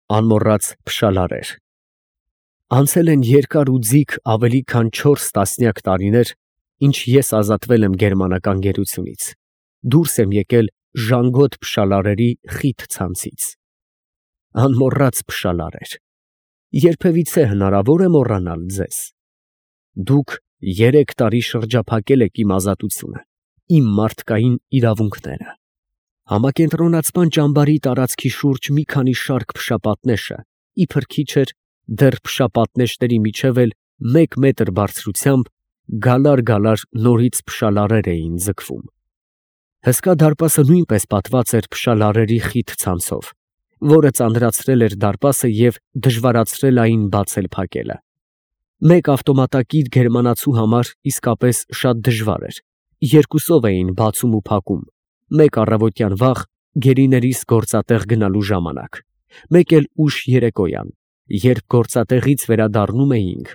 Անմոռաց փշալարեր։ Անցել են երկար ու ձիգ ավելի քան 4 տասնյակ տարիներ, ինչ ես ազատվել եմ գերմանական գերությունից, դուրս եմ եկել ժանգոտ փշալարերի խիտ ցանցից։ Անմոռաց փշալարեր, երբևիցե հնարավոր է մոռանալ ձեզ։ Դուք 3 տարի շրջափակել եք իմ ազատությունը, իմ մարդկային իրավունքները։ Համակենտրոնացման ճամբարի տարածքի շուրջ մի քանի շարք փշապատնեշը, իբր քիչ էր, դեռ փշապատնեշների միջև էլ 1 մետր բարձրությամբ գալար նորից փշալարեր էին ձգվում։ Հսկա դարպասը նույնպես պատված էր փշալարերի խիտ ցանցով, որը ծանրացրել էր դարպասը և դժվարացրել այն բացել-փակելը։ Մեկ ավտոմատակիր գերմանացու համար իսկապես շատ դժվար էր, երկուսով էին բացում ու փակում, մեկ առավոտյան վաղ գերիներիս գործատեղ գնալու ժամանակ, մեկ էլ ուշ երեկոյան, երբ գործատեղից վերադառնում էինք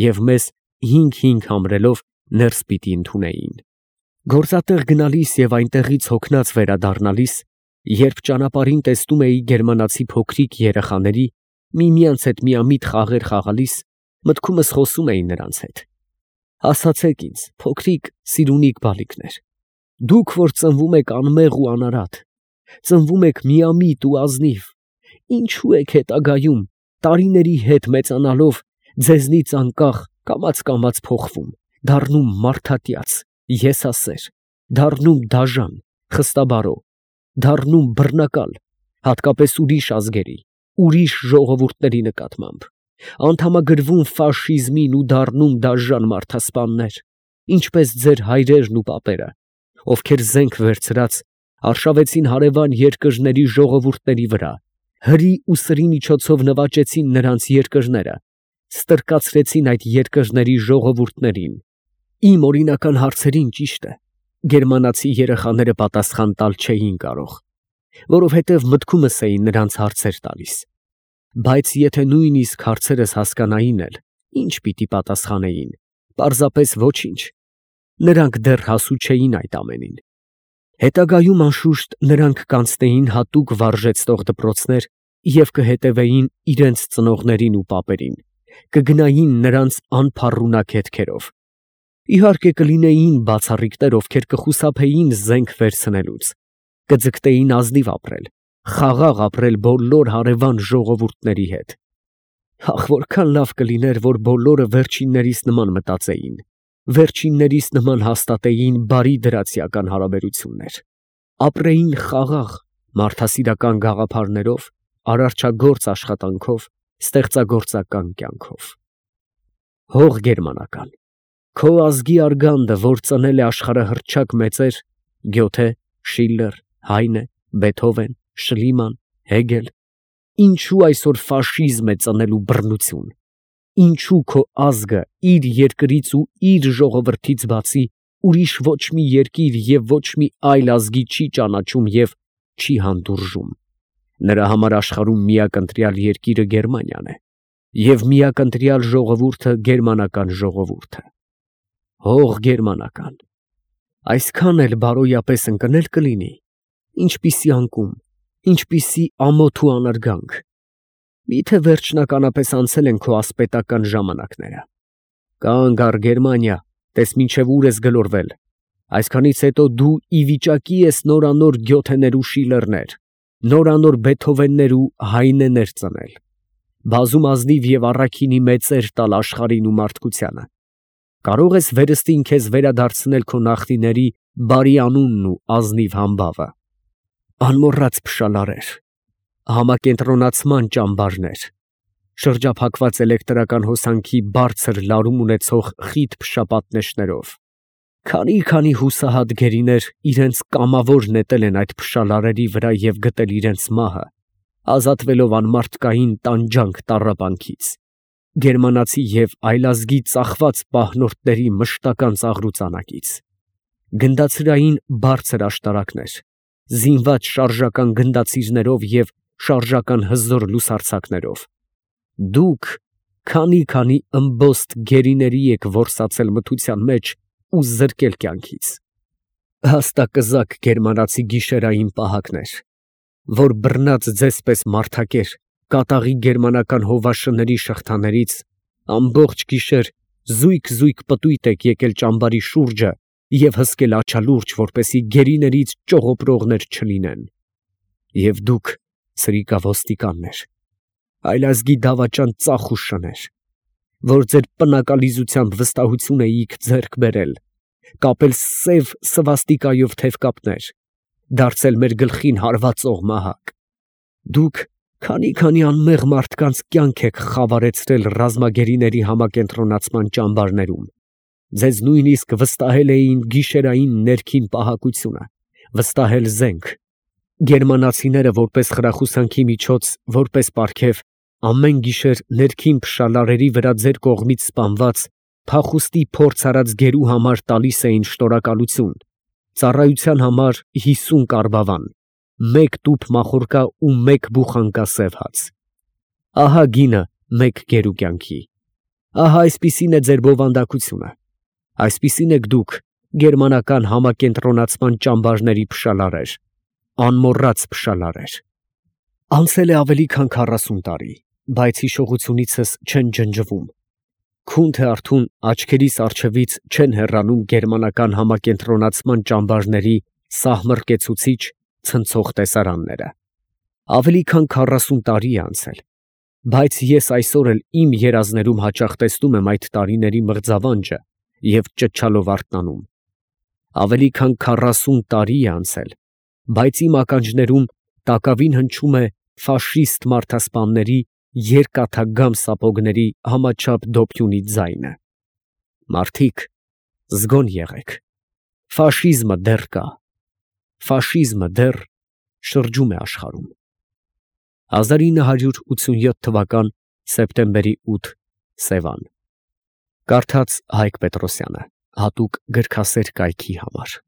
և մեզ 5-5 համրելով ներս պիտի ընդունեին։ Գործատեղ գնալիս և այնտեղից հոգնած վերադառնալիս, երբ ճանապարհին տեսնում էի գերմանացի փոքրիկ երեխաների, միմյանց հետ միամիտ խաղեր խաղալիս, մտքումս խոսում էի նրանց հետ. ասացեք ինձ, փոքրիկ սիրունիկ բալիկներ, դուք, որ ծնվում եք անմեղ ու անարատ, ծնվում եք միամիտ ու ազնիվ, ինչու եք հետագայում, տարիների հետ մեծանալով, ձեզնից անկախ կամաց փոխվում, դառնում մարդատյաց, եսասեր, դառնում դաժան, խստաբարո, դառնում բռնակալ, հատկապես ուրիշ ազգերի, ուրիշ ժողովուրդների նկատմամբ, անդամագրվում ֆաշիզմին ու դառնում դաժան մարդասպաններ, ինչպես ձեր հայրերն ու պապերը, ովքեր զենք վերցրած արշավեցին հարևան երկրների ժողովուրդների վրա, հրի ու սրի միջոցով նվաճեցին նրանց երկրները, ստրկացրեցին այդ երկրների ժողովուրդներին։ Իմ օրինական հարցերին, ճիշտ է, գերմանացի երեխաները պատասխան տալ չէին կարող, որովհետև մտքումս էին նրանց հարցեր տալիս, բայց եթե նույնիսկ հարցերս հասկանային էլ, ինչ պիտի պատասխանեին, պարզապես ոչինչ, նրանք դեռ հասու չէին այդ ամենին։ Հետագայում անշուշտ նրանք կանցնեին հատուկ վարժեցնող դպրոցներ և կհետևեին իրենց ծնողներին ու պապերին, կգնային նրանց անփառունակ հետքերով։ Իհարկե կլինեին բացառիկներ, ովքեր կխուսափեին զենք վերցնելուց, կձգտեին ազնիվ ապրել, խաղաղ ապրել բոլոր հարևան ժողովուրդների հետ։ Ախ, որքան լավ կլիներ, որ բոլորը վերջիններիս նման մտածեին, վերջիններիս նման հաստատեին բարի դրացիական հարաբերություններ, ապրեին խաղաղ, մարդասիրական գաղափարներով, արարչագործ աշխատանքով, ստեղծագործական կյանքով։ Հող գերմանական, քո ազգի արգանդը, որ ծնել է աշխարհահռչակ մեծեր, Գյոթե, Շիլլեր, Հայնե, Բեթհովեն, Շլիման, Հեգել, ինչու այսօր ֆաշիզմ է ծնելու բռնություն, ինչու քո ազգը իր երկրից ու իր ժողովրդից բացի ուրիշ ոչ մի երկիր և ոչ մի այլ ազգի չի ճանաչում և չի հանդուրժում։ Նրա համար աշխարհում միակ ընտրյալ երկիրը Գերմանիան է և միակ ընտրյալ ժողովուրդը գերմանական ժողովուրդը։ Հող գերմանական, այսքան էլ բարոյապես ընկնել կլինի, ինչպիսի անկում, ինչպիսի ամոթ ու անարգանք, միթե վերջնականապես անցել են քո ասպետական ժամանակները։ Կանգ առ Գերմանիա, տես մինչև ուր ես գլորվել, այսքանից հետո դու ի վիճակի ես նորանոր Գյոթեներ ու Շիլլերներ, նորանոր Բեթհովեններ ու Հայնեներ ծնել, բազում ազնիվ և առաքինի մեծեր տալ աշխարհին ու մարդկությանը, կարող ես վերստին քեզ վերադարձնել քո նախնիների բարի անունն ու ազնիվ համբավը։ Անմոռաց փշալարեր, համակենտրոնացման ճամբարներ, շրջափակված էլեկտրական հոսանքի բարձր լարում ունեցող խիտ փշապատնեշներով, քանի հուսահատ գերիներ իրենց կամավոր նետել են այդ փշալարերի վրա և գտել իրենց մահը, ազատվելով անմարդկային տանջանք տառապանքից, գերմանացի և այլազգի ծախված պահնորդների մշտական ծաղրուծանակից, գնդացրային բարձր աշտարակներ, զինված շարժական գնդացիրներով և շարժական հզոր լուսարձակներով, դուք քանի ըմբոստ գերիների եք որսացել մթության մեջ ու զրկել կյանքից, հաստակզակ գերմանացի գիշերային պահակներ, որ բռնած ձեզ պես մարդակեր կատաղի գերմանական հովաշների շղթաներից ամբողջ գիշեր զույգ պտույտ եք եկել ճամբարի շուրջը և հսկել աչալուրջ, որպեսզի գերիներից ճողոպրողներ չլինեն։ Եվ դուք, սրիկավոստիկաններ, այլազգի դավաճան ծախ ու շներ, որ ձեր պնակալիզությամբ վստահություն էիք ձեռք բերել, կապել սև սվաստիկայով թևկապներ, դարձել մեր գլխին հարվածող մահակ, դուք քանի անմեղ մարդկանց կյանք եք խավարեցրել ռազմագերիների համակենտրոնացման ճամբարներում, ձեզ նույնիսկ վստահել էին գիշերային ներքին պահակությունը, վստահել զենք, գերմանացիները որպես խրախուսանքի միջոց, որպես պարգև, ամեն գիշեր ներքին փշալարերի վրա ձեր կողմից սպանված փախուստի փորձ արած գերու համար տալիս էին շնորհակալություն, ծառայության համար 50 կարբավան, 1 տուփ մախորկա ու 1 բուխանկա սև հաց։ Ահա գինը մեկ գերու կյանքի, ահա այսպիսին է ձեր բովանդակությունը, այսպիսին եք դուք, գերմանական համակենտրոնացման ճամբարների փշալարեր, անմոռաց փշալարեր։ Անցել է ավելի քան 40 տարի, բայց հիշողությունիցս չեն ջնջվում, քուն թե արթուն աչքերիս առջևից չեն հեռանում գերմանական համակենտրոնացման ճամբարների սահմռկեցուցիչ ցնցող տեսարանները։ Ավելի քան 40 տարի է անցել, բայց ես այսօր էլ իմ երազներում հաճախ տեսնում եմ այդ տարիների մղձավանջը և ճչալով արթնանում։ Ավելի քան 40 տարի է անցել, բայց իմ ականջներում տակավին հնչում է ֆաշիստ մարդասպանների երկաթագամ սապոգների համաչափ դոփյունի ձայնը։ Մարդիկ, զգոն եղեք, ֆաշիզմը դեռ կա, ֆաշիզմը դեռ շրջում է աշխարհում։ 1987 թվական սեպտեմբերի 8 Սևան։ Կարդաց Հայկ Պետրոսյանը, հատուկ գրքասեր կայքի համար։